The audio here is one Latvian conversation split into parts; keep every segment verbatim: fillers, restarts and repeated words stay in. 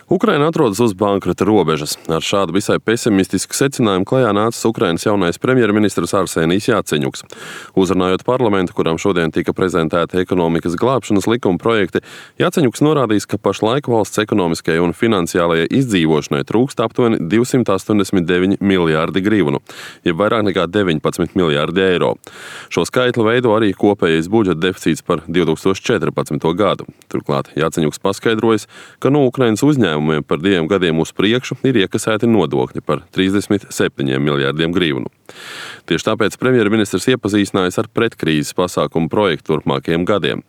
Ukraina atrodas uz bankrota robežas. Ar šādu visai pesimistisku secinājumu klajā nācis Ukrainas jaunais premjerministrs Arsenijs Jaceņuks. Uzrunājot parlamentu, kuram šodien tika prezentēti ekonomikas glābšanas likuma projekti, Jaceņuks norādījis, ka pašlaik valsts ekonomiskajai un finansiālajai izdzīvošanai trūkst aptuveni divsimt astoņdesmit deviņi miljārdi grivnu, jeb vairāk nekā deviņpadsmit miljārdi eiro. Šo skaitli veido arī kopējais budžeta deficīts par divi tūkstoši četrpadsmito gadu. Turklāt Jaceņuks paskaidrojas, ka no Ukrainas uzņēmumiem par diviem gadiem uz priekšu ir iekasēti nodokļi par trīsdesmit septiņiem miljārdiem grivnu. Tieši tāpēc premjerministrs iepazīstinājās ar pretkrīzes pasākumu projektu turpmākajiem gadiem.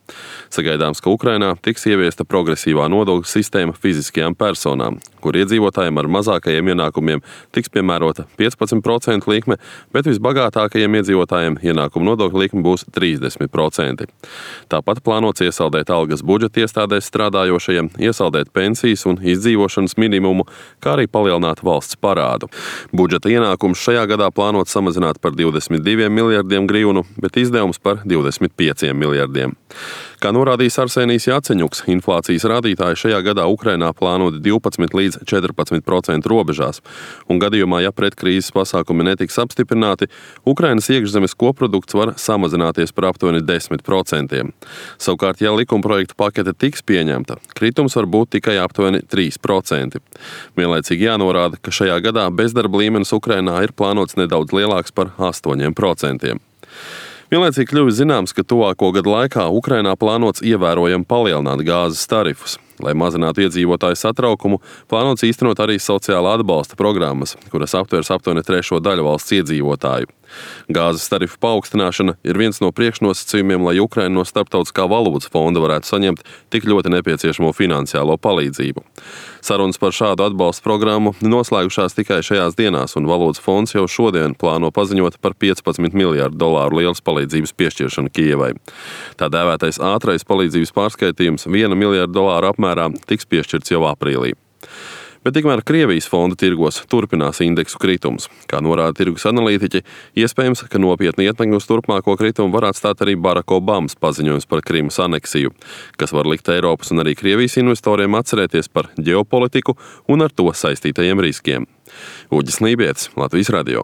Sagaidāms, ka Ukrainā tiks ieviesta progresīvā nodokļu sistēma fiziskajām personām, kur iedzīvotājiem ar mazākajiem ienākumiem tiks piemērota piecpadsmit procentu likme, bet visbagātākajiem iedzīvotājiem ienākumu nodokļu likme būs trīsdesmit procenti. Tāpat plānots iesaldēt algas budžeta iestādēs strādājošajiem, iesaldēt pensijas un izdzīvošanas minimumu, kā arī palielināt valsts parādu. Budžeta ienākums šajā gadā plānots samazināt par divdesmit diviem miljardiem grivnu, bet izdevums par divdesmit pieciem miljardiem. Kā norādījis Arsenijs Jaceņuks, inflācijas rādītāji šajā gadā Ukrainā plānoti divpadsmit līdz četrpadsmit procentu robežās, un gadījumā, ja pretkrīzes pasākumi netiks apstiprināti, Ukrainas iekšzemes koprodukts var samazināties par aptuveni desmit procentiem. Savukārt, ja likumprojektu pakete tiks pieņemta, kritums var būt tikai aptuveni trīs procenti. Vienlaicīgi jānorāda, ka šajā gadā bezdarba līmenis Ukrainā ir plānots nedaudz lielāks par astoņiem procentiem. Vienlaicīgi kļuvis zināms, ka tuvāko gadu laikā Ukrainā plānots ievērojami palielināt gāzes tarifus. Lai mazinātu iedzīvotāju satraukumu, plānots īstenot arī sociālā atbalsta programmas, kuras aptvers aptuveni trešo daļu valsts iedzīvotāju. Gāzes tarifu paaugstināšana ir viens no priekšnosacījumiem, lai Ukraina no Starptautiskā valūtas fonda varētu saņemt tik ļoti nepieciešamo finansiālo palīdzību. Sarunas par šādu atbalsta programmu noslēgušās tikai šajās dienās, un valūtas fonds jau šodien plāno paziņot par piecpadsmit miljārdu dolāru lielas palīdzības piešķiršanu Kijevai. Tā dēvētais ātrais palīdzības pārskaitījums viena miljarda dolāru apmērā tiks piešķirts jau aprīlī. Bet tikmēr Krievijas fonda tirgos turpinās indeksu kritums. Kā norāda tirgus analītiķi, iespējams, ka nopietni ietekmi uz turpmāko kritumu var atstāt arī Baraka Obamas paziņojums par Krimas aneksiju, kas var likt Eiropas un arī Krievijas investoriem atcerēties par ģeopolitiku un ar to saistītajiem riskiem. Uģis Lībietis, Latvijas radio.